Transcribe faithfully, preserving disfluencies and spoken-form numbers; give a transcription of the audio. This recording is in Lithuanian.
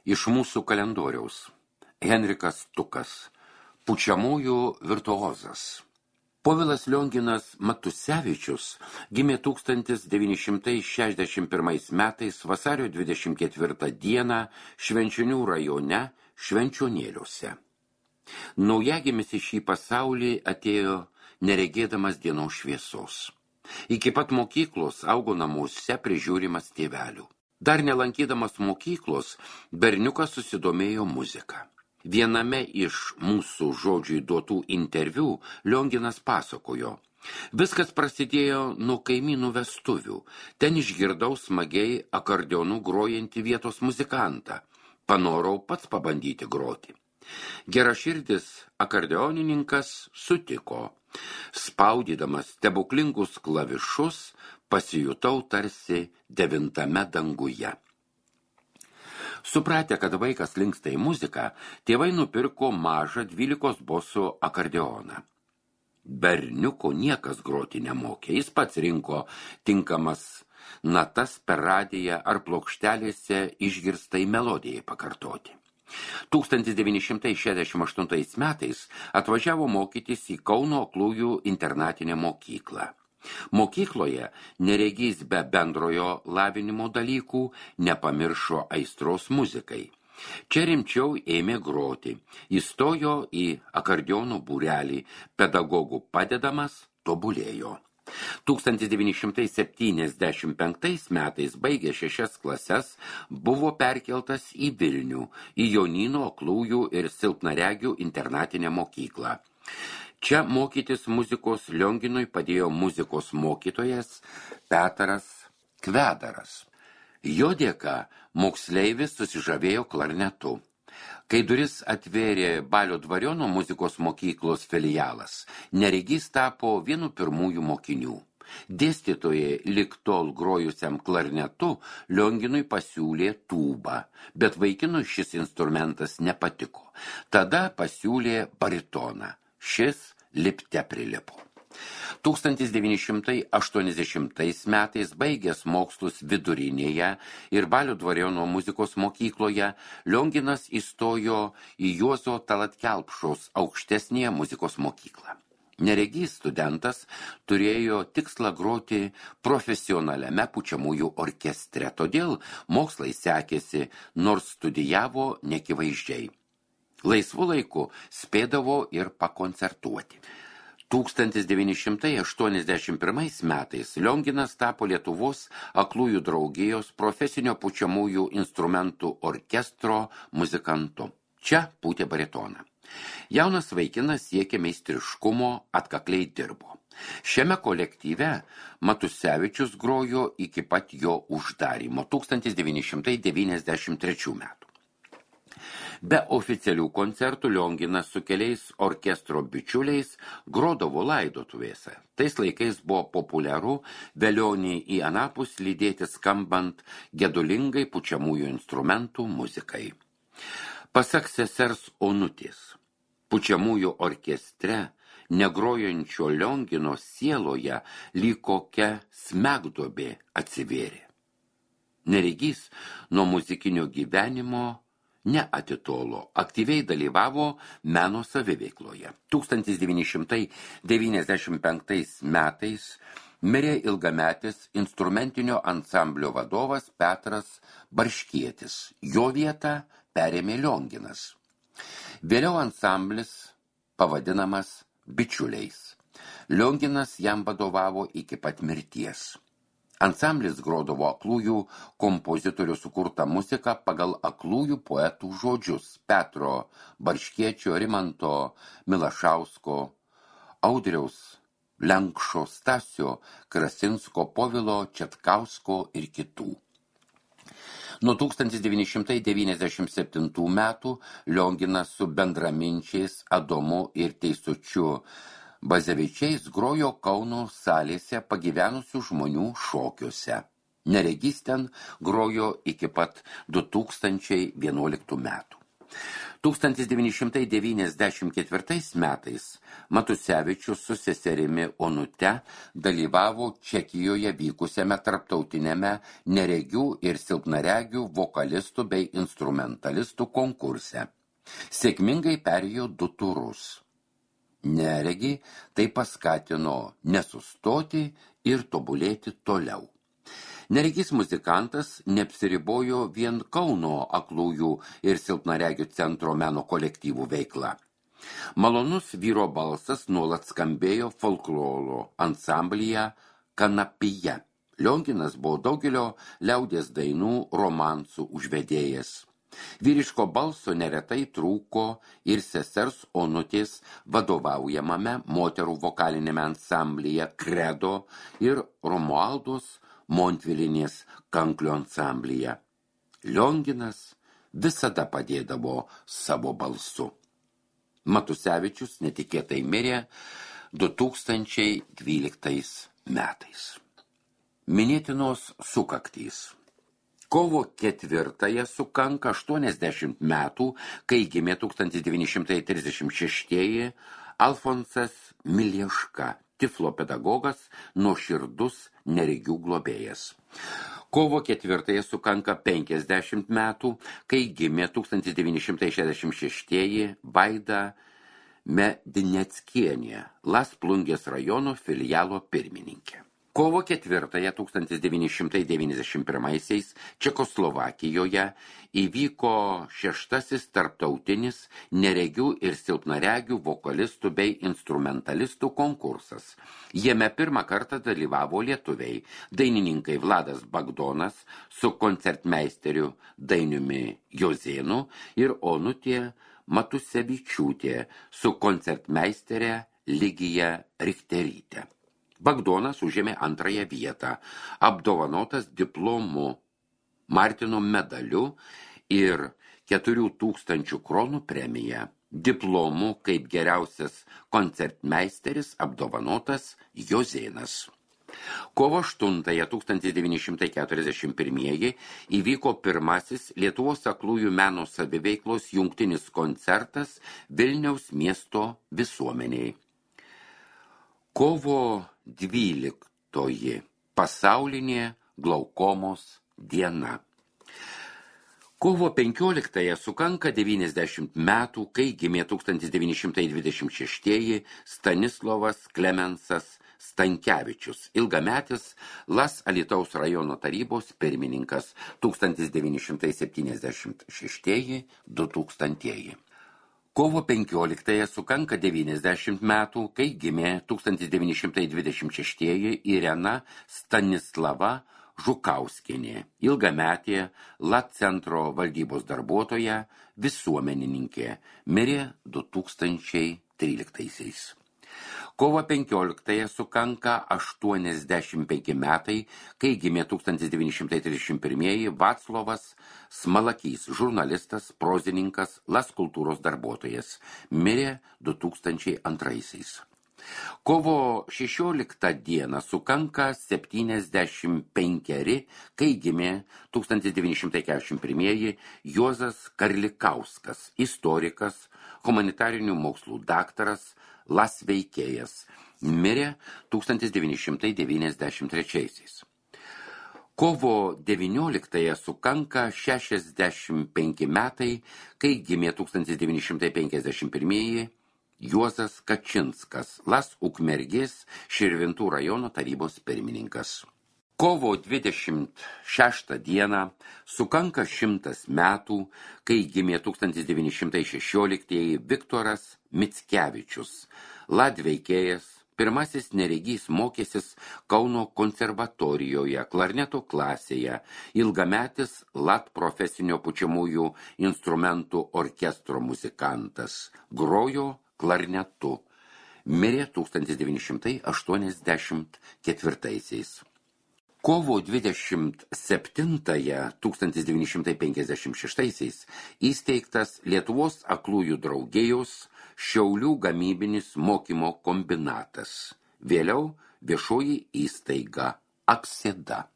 Iš mūsų kalendoriaus. Henrikas Tukas. Pučiamųjų virtuozas. Povilas Lionginas Matusevičius gimė tūkstantis devyni šimtai šešiasdešimt pirmais metais vasario dvidešimt ketvirtą dieną Švenčionių rajone Švenčionėliuose. Naujagimis į šį pasaulį atėjo neregėdamas dienos šviesos. Iki pat mokyklos augo namuose prižiūrimas tėvelių. Dar nelankydamas mokyklos, berniukas susidomėjo muziką. Viename iš mūsų žodžiui duotų interviu Lionginas pasakojo: viskas prasidėjo nuo kaimynų vestuvių. Ten išgirdau smagiai akordeonu grojantį vietos muzikantą. Panorau pats pabandyti groti. Geraširdis akordeonininkas sutiko. Spaudydamas stebuklingus klavišus, pasijutau tarsi devintame danguje. Supratę, kad vaikas linksta į muziką, tėvai nupirko mažą dvylikos bosų akordeoną. Berniuko niekas groti nemokė, jis pats rinko tinkamas natas per radiją ar plokštelėse išgirstai melodijai pakartoti. tūkstantis devyni šimtai šešiasdešimt aštuntais metais atvažiavo mokytis į Kauno aklųjų internatinę mokyklą. Mokykloje neregys be bendrojo lavinimo dalykų nepamiršo aistros muzikai. Čia rimčiau ėmė groti. Įstojo į akordeono būrelį, pedagogų padedamas tobulėjo. tūkstantis devyni šimtai septyniasdešimt penktais metais baigė šešias klases, buvo perkeltas į Vilnių, į Jonyno aklųjų ir silpnaregių internatinę mokyklą. Čia mokytis muzikos Lionginui padėjo muzikos mokytojas Petras Kvedaras. Jo dėka moksleivis susižavėjo klarnetu. Kai duris atvėrė Balio Dvariono muzikos mokyklos filialas, neregys tapo vienu pirmųjų mokinių. Dėstytojai lig tol grojusiam klarnetu Lionginui pasiūlė tūbą, bet vaikinui šis instrumentas nepatiko. Tada pasiūlė baritoną. Šis lipte prilipo. tūkstantis devyni šimtai aštuoniasdešimtais metais baigęs mokslus vidurinėje ir Balio Dvariono muzikos mokykloje, Lionginas įstojo į Juozo Talat Kelpšos aukštesnėje muzikos mokyklą. Neregys studentas turėjo tikslą groti profesionaliame pučiamųjų orkestre, todėl mokslai sekėsi, nors studijavo nekivaizdžiai. Laisvu laiku spėdavo ir pakoncertuoti. tūkstantis devyni šimtai aštuoniasdešimt pirmais metais Lionginas tapo Lietuvos aklųjų draugijos profesinio pučiamųjų instrumentų orkestro muzikantu. Čia pūtė baritoną. Jaunas vaikinas siekė meistriškumo, atkakliai dirbo. Šiame kolektyve Matusevičius grojo iki pat jo uždarymo tūkstantis devyni šimtai devyniasdešimt trečių metų. Be oficialių koncertų Lionginas su keliais orkestro bičiuliais grodavo laidotuvėse. Tais laikais buvo populiaru velionį į anapus lydėti skambant gedulingai pučiamųjų instrumentų muzikai. Pasak sesers Onutės, pučiamųjų orkestre negrojančio Liongino sieloje lyg kokia smegduobė atsivėrė. Neregys nuo muzikinio gyvenimo neatitolo, aktyviai dalyvavo meno saviveikloje. tūkstantis devyni šimtai devyniasdešimt penktais metais mirė ilgametis instrumentinio ansamblio vadovas Petras Barškietis. Jo vietą perėmė Lionginas. Vėliau ansamblis pavadinamas Bičiuliais. Lionginas jam vadovavo iki pat mirties. Ansamblis grodavo aklųjų kompozitorių sukurtą muziką pagal aklųjų poetų žodžius Petro Barškiečio, Rimanto Milašausko, Audriaus Lenkšo, Stasio Krasinsko, Povilo Četkausko ir kitų. Nuo tūkstantis devyni šimtai devyniasdešimt septintų metų Lionginas su bendraminčiais Adomu ir Teisučiu Bazevičiais grojo Kauno salėse pagyvenusių žmonių šokiuose. Neregys ten grojo iki pat du tūkstančiai vienuoliktų metų. tūkstantis devyni šimtai devyniasdešimt ketvirtais metais Matusevičius su seserimi Onute dalyvavo Čekijoje vykusiame tarptautiniame neregių ir silpnaregių vokalistų bei instrumentalistų konkurse. Sėkmingai perėjo du turus. Neregi tai paskatino nesustoti ir tobulėti toliau. Neregys muzikantas neapsiribojo vien Kauno aklųjų ir silpnaregių centro meno kolektyvų veikla. Malonus vyro balsas nuolat skambėjo folkloro ansamblyje Kanapija. Lionginas buvo daugelio liaudies dainų romansų užvedėjas. Vyriško balso neretai trūko ir sesers Onutės vadovaujamame moterų vokalinėme ansamblyje Kredo ir Romualdos Montvilinės kanklio ansamblyje. Lionginas visada padėdavo savo balsu. Matusevičius netikėtai mirė du tūkstančiai dvyliktais metais. Minėtinos sukaktys. Kovo ketvirtąją sukanka aštuoniasdešimt metų, kai gimė tūkstantis devyni šimtai trisdešimt šeštieji Alfonsas Milieška, Tiflo pedagogas, nuoširdus neregių globėjas. Kovo ketvirtąją sukanka penkiasdešimt metų, kai gimė tūkstantis devyni šimtai šešiasdešimt šeštieji Vaida Medineckienė, Las Plungės rajono filialo pirmininkė. Kovo ketvirtąją tūkstantis devyni šimtai devyniasdešimt pirmaisiais Čekoslovakijoje įvyko šeštasis tarptautinis neregių ir silpnaregių vokalistų bei instrumentalistų konkursas. Jame pirmą kartą dalyvavo lietuviai, dainininkai Vladas Bagdonas su koncertmeisteriu Dainiumi Jozėnu ir Onutė Matusevičiūtė su koncertmeistere Ligija Richterytė. Bagdonas užėmė antrąją vietą, apdovanotas diplomu, Martino medaliu ir keturių tūkstančių kronų premija. Diplomu kaip geriausias koncertmeisteris apdovanotas Jozėnas. Kovo aštuntąją tūkstantis devyni šimtai keturiasdešimt pirmieji įvyko pirmasis Lietuvos aklųjų meno saviveiklos jungtinis koncertas Vilniaus miesto visuomeniai. Kovo dvyliktoji pasaulinė glaukomos diena. Kovo penkioliktąją sukanka devyniasdešimt metų, kai gimė tūkstantis devyni šimtai dvidešimt šeštieji Stanislovas Klemensas Stankevičius, ilgametis Las Alytaus rajono tarybos pirmininkas tūkstantis devyni šimtai septyniasdešimt šeštieji du tūkstantieji. Kovo penkioliktąją sukanka devyniasdešimt metų, kai gimė tūkstantis devyni šimtai dvidešimt šeštieji Irena Stanislava Žukauskienė, ilgametė L A centro valdybos darbuotoja, visuomenininkė, mirė du tūkstančiai tryliktaisiais. Kovo penkioliktąją sukanka aštuoniasdešimt penki metai, kai gimė tūkstantis devyni šimtai trisdešimt pirmieji Vaclovas Smalakys, žurnalistas, prozininkas, Las kultūros darbuotojas, mirė du tūkstančiai antraisiais. Kovo šešioliktą dieną sukanka septyniasdešimt penkeri, kai gimė tūkstantis devyni šimtai keturiasdešimt pirmieji Juozas Karlikauskas, istorikas, humanitarinių mokslų daktaras, Las veikėjas, mirė tūkstantis devyni šimtai devyniasdešimt trečiaisiais. Kovo devynioliktąją sukanka šešiasdešimt penki metai, kai gimė tūkstantis devyni šimtai penkiasdešimt pirmieji Juozas Kačinskas, Las Ukmergės Širvintų rajono tarybos pirmininkas. Kovo dvidešimt šeštą dieną sukanka šimtas metų, kai gimė tūkstantis devyni šimtai šešioliktieji Viktoras Mickevičius, Lat veikėjas, pirmasis neregys mokėsis Kauno konservatorijoje, klarneto klasėje, ilgametis Lat profesinio pučiamųjų instrumentų orkestro muzikantas, grojo klarnetu, mirė tūkstantis devyni šimtai aštuoniasdešimt ketvirtaisiais. Kovo dvidešimt septintąją tūkstantis devyni šimtai penkiasdešimt šeštaisiais įsteigtas Lietuvos aklųjų draugijos Šiaulių gamybinis mokymo kombinatas, vėliau viešoji įstaiga Aksėda.